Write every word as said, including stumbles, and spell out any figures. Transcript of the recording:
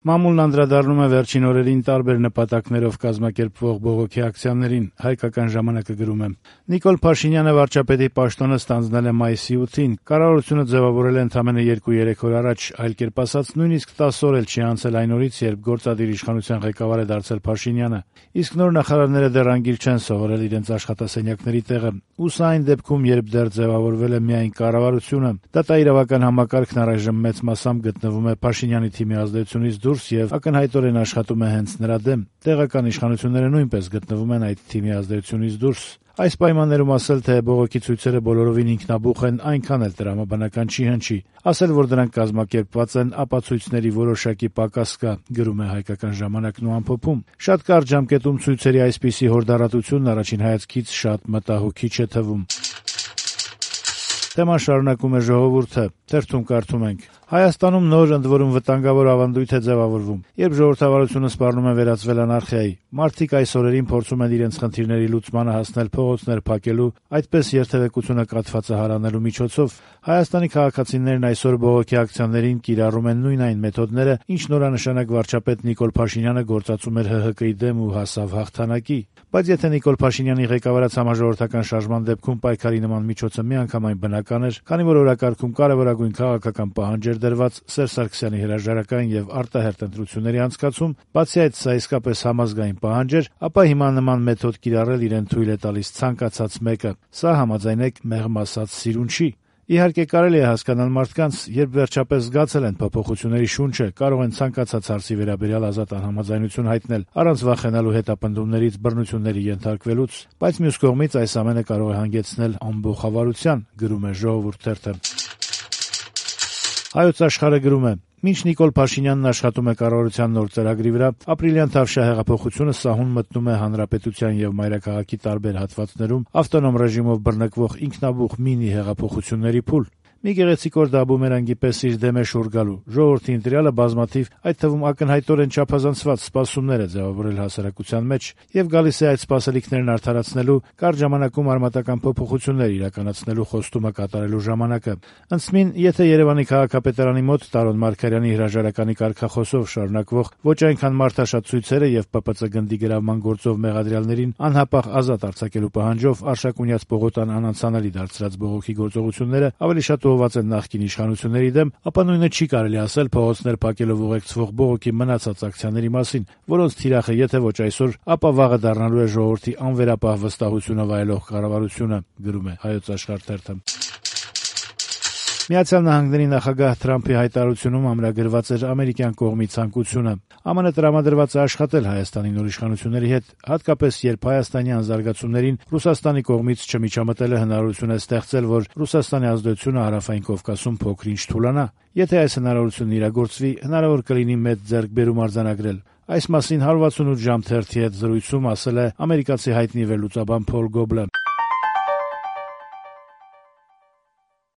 Մամուլն անդրադառնում է վերջին օրերին տարբեր նպատակներով կազմակերպվող բողոքի ակցիաներին, «Հայկական ժամանակ»-ը գրում է. Նիկոլ Փաշինյանը վարչապետի պաշտոնը ստանձնել է մայիսի ութին, կառավարությունը ձևավորել է ընդամենը երկու-երեք օր առաջ, այլ կերպ ասած, նույնիսկ տասը օր էլ չի անցել այն օրից, երբ գործադիր իշխանության ղեկավար է դարձել Փաշինյանը, իսկ նոր նախարարները դեռ անգիր չեն սովորել իրենց աշխատասենյակների տեղը, ու սա այն դեպքում, երբ դեռ ձևավորվել է միայն կառավարությունը, դատաիրավական համակարգն առայժմ մեծ մասամբ գտնվում է Փաշինյանի թիմի ազդեցությունից դուրս եւ ակնհայտորեն աշխատում է հենց նրա դեմ, տեղական իշխանությունները նույնպես գտնվում են այդ թիմի ազդեցությունից դուրս։ Այս պայմաններում ասել, թե բողոքի ցույցերը բոլորովին ինքնաբուխ են, այնքան էլ տրամաբանական չի հնչի։ Ասել, որ դրանք կազմակերպված են, ապացույցների որոշակի պակաս կա, գրում է «Հայկական ժամանակ»-ն ու ամփոփում։ Շատ կարճ ժամկետում ցույցերի այսպիսի հորդառատությունն առաջին հայացքից շատ մտահոգիչ է թվում։ Թեման շարունակում է «Ժողովուրդ»-ը, թերթում կարդում ենք. Հայաստանում նոր ընդ որում վտանգավոր ավանդույթ է ձևավորվում, երբ ժողովրդավարությունը սպառնում է վերածվել անարխիայի։ Մարդիկ այս օրերին փորձում են իրենց խնդիրների լուծմանը հասնել փողոցներ փակելու, այդպես երթևեկությունը կաթվածահարանելու միջոցով։ Հայաստանի քաղաքացիներն այսօր բողոքի ակցիաներին կիրառում են նույն այն մեթոդները, ինչ նորանշանակ վարչապետ Նիկոլ Փաշինյանը գործածում էր ՀՀԿ-ի դեմ ու հասավ հաղթանակի։ Բայց եթե Նիկոլ Փաշինյանի ղեկավարած համաժողովրդական շարժման դեպքում պայքարի նման միջոցը միանգամայն բնական էր, քանի որ օրակարգում կարևորագույն քաղաքական պահանջ էր դրված Սերժ Սարգսյանի հրաժարակային եւ արտահերթ ընտրությունների անցկացում, բացի այդ սա իսկապես համազգային պահանջ էր, ապա հիմա նման մեթոդ կիրառել իրեն թույլ է տալիս ցանկացած մեկը։ Սա համաձայնեք մեղմ ասած սիրուն չի։ Իհարկե կարելի է հասկանալ մարդկանց, երբ վերջապես զգացել են փոփոխությունների շունչը, կարող են ցանկացած հարցի վերաբերյալ ազատ անհամաձայնություն հայտնել, առանց վախենալու հետապնդումներից, բռնությունների ենթարկվելուց, բայց մյուս կողմից այս ամենը կարող է հանգեցնել ամբողջավարության, գրում է «Ժողովուրդ» թերթը։ Հայոց Աշխարհը գրում է. Մինչ Նիկոլ Փաշինյանն աշխատում է կառավարության նոր ծրագրի վրա, ապրիլյան Թավշյա հեղափոխությունը սահուն մտնում է հանրապետության եւ մայրաքաղաքի տարբեր հատվածներում ավտոնոմ ռեժիմով բռնկվող ինքնաբուխ մինի հեղափոխությունների փուլ։ Մի գեղեցիկ օր դա բումերանգի պես իր դեմ է շուռ գալու։ Ժողովրդի ընտրյալը բազմաթիվ, այդ թվում ակնհայտորեն չափազանցված սպասումներ է ձևավորել հասարակության մեջ եւ գալիս է այդ սպասելիքներն արդարացնելու, կարճ ժամանակում արմատական փոփոխություններ իրականացնելու խոստումը կատարելու ժամանակը։ Ընծմին, եթե Երևանի քաղաքապետարանի մոտ Տարոն Մարգարյանի հրաժարականի կարգախոսով շարունակվող ոչ այնքան մարդաշատ ցույցերը եւ ՊՊՑ գնդի գրավման գործով մեղադրյալներին անհապաղ ազատ արձակելու պահանջով Արշակունյաց Պողոտան անանցանալի դարձրած բողոքի գործողությունները ավելի շատ ուղղված են նախկին իշխանությունների դեմ, ապա նույնը չի կարելի ասել փողոցներ փակելով ուղեկցվող բողոքի մնացած ակցիաների մասին, որոնց թիրախը եթե ոչ այսօր, ապա վաղը դառնալու է ժողովրդի անվերապահ վստահությունը վայելող կառավարությունը, գրում է Հայոց Աշխարհ թերթը։ Միացյալ Նահանգների նախագահ Թրամփի հայտարարությունում ամրագրված էր ամերիկյան կողմի ցանկությունը։ ԱՄՆ տրամադրված է աշխատել Հայաստանի նոր իշխանությունների հետ, հատկապես երբ հայաստանյան զարգացումներին Ռուսաստանի կողմից չմիջամտելը հնարավորություն է ստեղծել, որ Ռուսաստանի ազդեցությունը Հարավային Կովկասում փոքր-ինչ թուլանա։ Եթե այս հնարավորությունն իրագործվի, հնարավոր կլինի մեծ ձեռքբերում արձանագրել։ Այս մասին հարյուրվաթսունութ ժամ թերթի հետ զրույցում ասել է ամերիկացի հայտնի վերլուծաբան Փոլ Գոբլը։